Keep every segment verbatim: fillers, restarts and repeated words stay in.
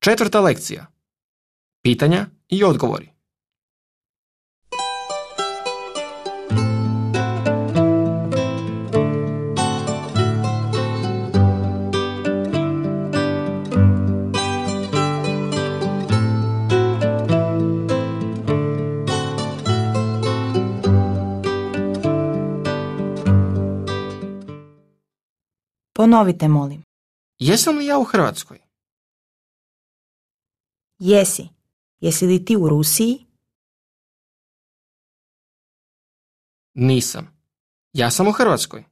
Četvrta lekcija. Pitanja i odgovori. Ponovite, molim. Jesam li ja u Hrvatskoj? Jesi. Jesi li ti u Rusiji? Nisam. Ja sam u Hrvatskoj.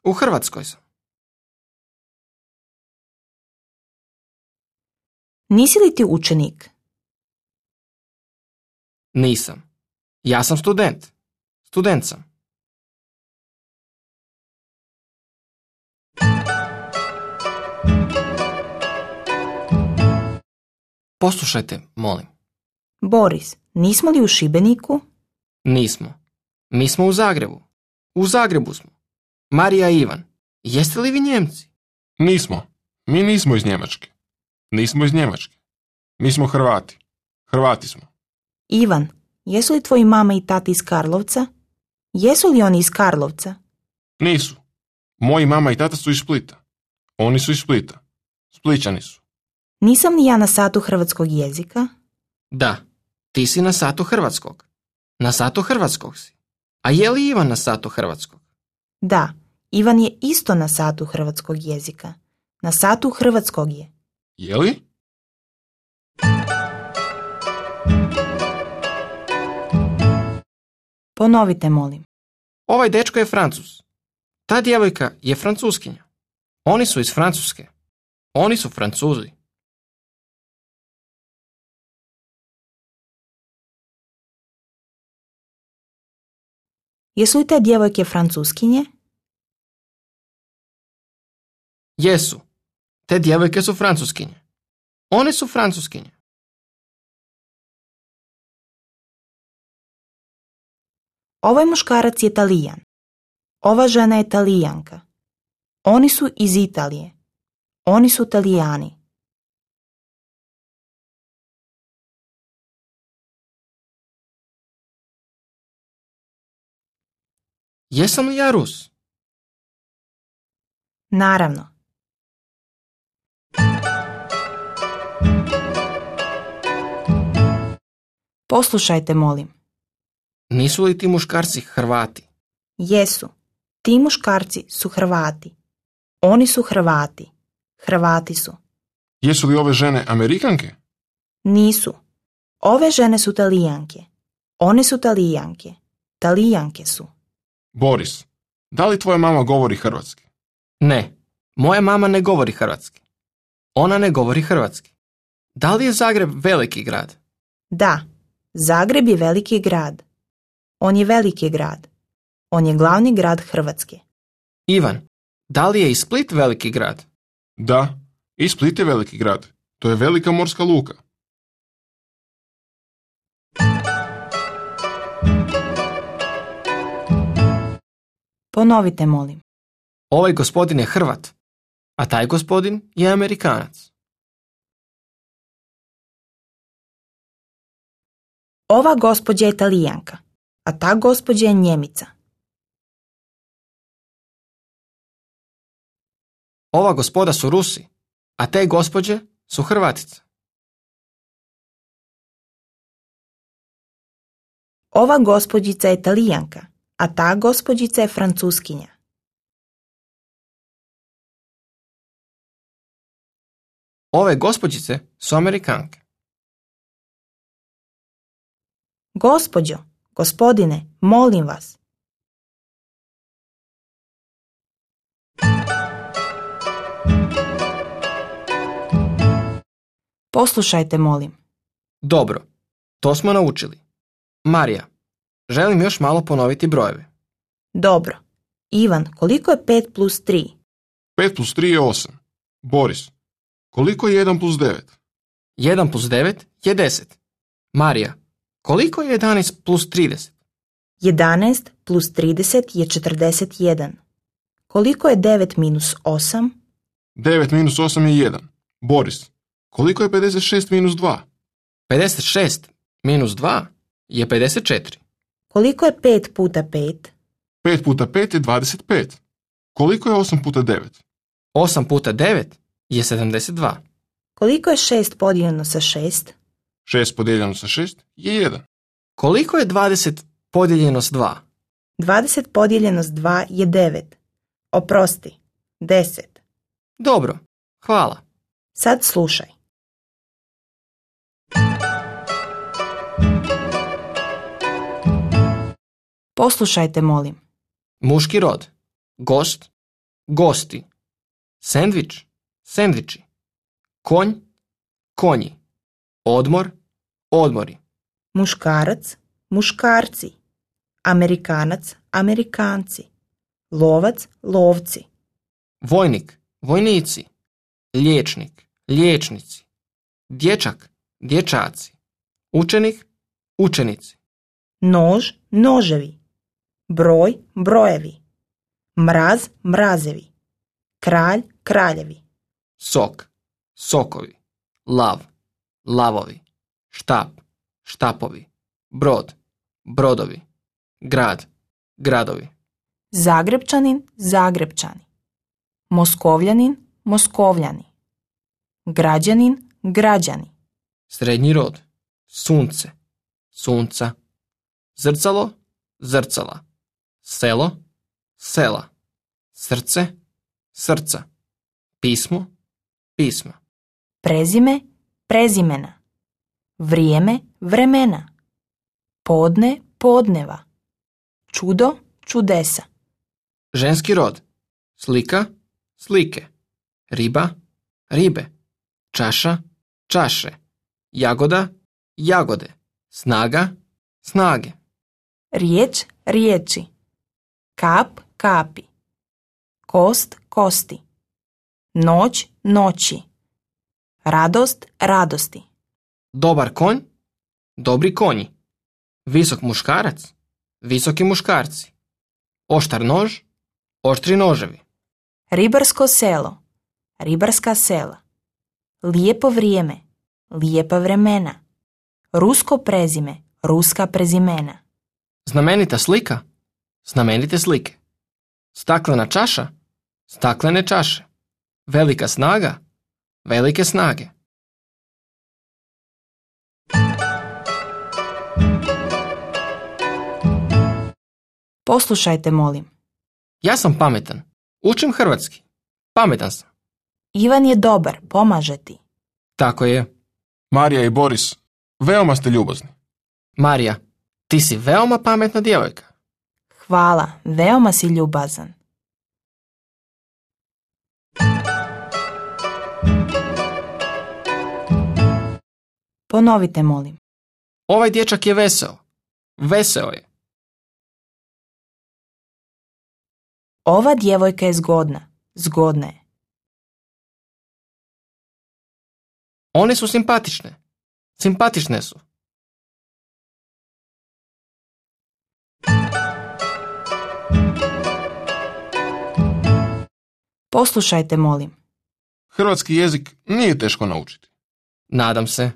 U Hrvatskoj sam. Nisi li ti učenik? Nisam. Ja sam student. Student sam. Poslušajte, molim. Boris, nismo li u Šibeniku? Nismo. Mi smo u Zagrebu. U Zagrebu smo. Marija i Ivan. Jeste li vi Njemci? Nismo. Mi nismo iz Njemačke. Nismo iz Njemačke. Mi smo Hrvati. Hrvati smo. Ivan, jesu li tvoji mama i tati iz Karlovca? Jesu li oni iz Karlovca? Nisu. Moji mama i tata su iz Splita. Oni su iz Splita. Splićani su. Nisam li ja na satu hrvatskog jezika? Da. Ti si na satu hrvatskog. Na satu hrvatskog si. A je li Ivan na satu hrvatskog? Da. Ivan je isto na satu hrvatskog jezika. Na satu hrvatskog je. Je li? Ponovite, molim. Ovaj dečko je Francuz. Ta djevojka je Francuskinja. Oni su iz Francuske. Oni su Francuzi. Jesu li te djevojke Francuskinje? Jesu. Te djevojke su Francuskinje. One su Francuskinje. Ovaj muškarac je Talijan. Ova žena je Talijanka. Oni su iz Italije. Oni su Talijani. Jesam li ja Rus? Naravno. Poslušajte, molim. Nisu li ti muškarci Hrvati? Jesu. Ti muškarci su Hrvati. Oni su Hrvati. Hrvati su. Jesu li ove žene Amerikanke? Nisu. Ove žene su Talijanke. One su Talijanke. Talijanke su. Boris, da li tvoja mama govori hrvatski? Ne. Moja mama ne govori hrvatski. Ona ne govori hrvatski. Da li je Zagreb veliki grad? Da. Zagreb je veliki grad. On je veliki grad. On je glavni grad Hrvatske. Ivan, da li je i Split veliki grad? Da, i Split je veliki grad. To je velika morska luka. Ponovite, molim. Ovaj gospodin je Hrvat, a taj gospodin je Amerikanac. Ova gospođa je Talijanka, a ta gospođa je Njemica. Ova gospoda su Rusi, a te gospođe su Hrvatice. Ova gospođica je Talijanka, a ta gospođica je Francuskinja. Ove gospođice su Amerikanke. Gospođo, gospodine, molim vas. Poslušajte, molim. Dobro, to smo naučili. Marija, želim još malo ponoviti brojeve. Dobro. Ivan, koliko je pet plus tri? pet plus tri je osam. Boris, koliko je jedan plus devet? jedan plus devet je deset. Marija, koliko je jedanaest plus trideset? jedanaest plus trideset je četrdeset jedan. Koliko je devet minus osam? devet minus osam je jedan. Boris, Koliko je pedeset šest minus dva? pedeset šest minus dva je pedeset četiri. Koliko je pet puta pet? pet puta pet je dvadeset pet. Koliko je osam puta devet? osam puta devet je sedamdeset dva. Koliko je šest podijeljeno sa šest? šest podijeljeno sa šest je jedan. Koliko je dvadeset podijeljeno s dva? dvadeset podijeljeno s dva je devet. Oprosti, deset. Dobro, hvala. Sad slušaj. Poslušajte, molim. Muški rod. Gost, gosti. Sendvič, sendviči. Konj, konji. Odmor, odmori. Muškarac, muškarci. Amerikanac, amerikanci. Lovac, lovci. Vojnik, vojnici. Liječnik, liječnici. Dječak, dječaci. Učenik, učenici. Nož, noževi. Broj, brojevi. Mraz, mrazevi. Kralj, kraljevi. Sok, sokovi. Lav, lavovi. Štap, štapovi. Brod, brodovi. Grad, gradovi. Zagrebčanin, Zagrebčani. Moskovljanin, Moskovljani. Građanin, građani. Srednji rod. Sunce, sunca. Zrcalo, zrcala. Selo, sela. Srce, srca. Pismo, pisma. Prezime, prezimena. Vrijeme, vremena. Podne, podneva. Čudo, čudesa. Ženski rod. Slika, slike. Riba, ribe. Čaša, čaše. Jagoda, jagode. Snaga, snage. Riječ, riječi. Kap, kapi. Kost, kosti. Noć, noći. Radost, radosti. Dobar konj, dobri konji. Visok muškarac, visoki muškarci. Oštar nož, oštri noževi. Ribarsko selo, ribarska sela. Lijepo vrijeme, lijepa vremena. Rusko prezime, ruska prezimena. Znamenita slika, znamenite slike. Staklena čaša, staklene čaše. Velika snaga, velike snage. Poslušajte, molim. Ja sam pametan. Učim hrvatski. Pametan sam. Ivan je dobar, pomaže ti. Tako je. Marija i Boris, veoma ste ljubazni. Marija, ti si veoma pametna djevojka. Hvala, veoma si ljubazan. Ponovite, molim. Ovaj dječak je veseo. Veseo je. Ova djevojka je zgodna. Zgodna je. One su simpatične. Simpatične su. Poslušajte, molim. Hrvatski jezik nije teško naučiti. Nadam se.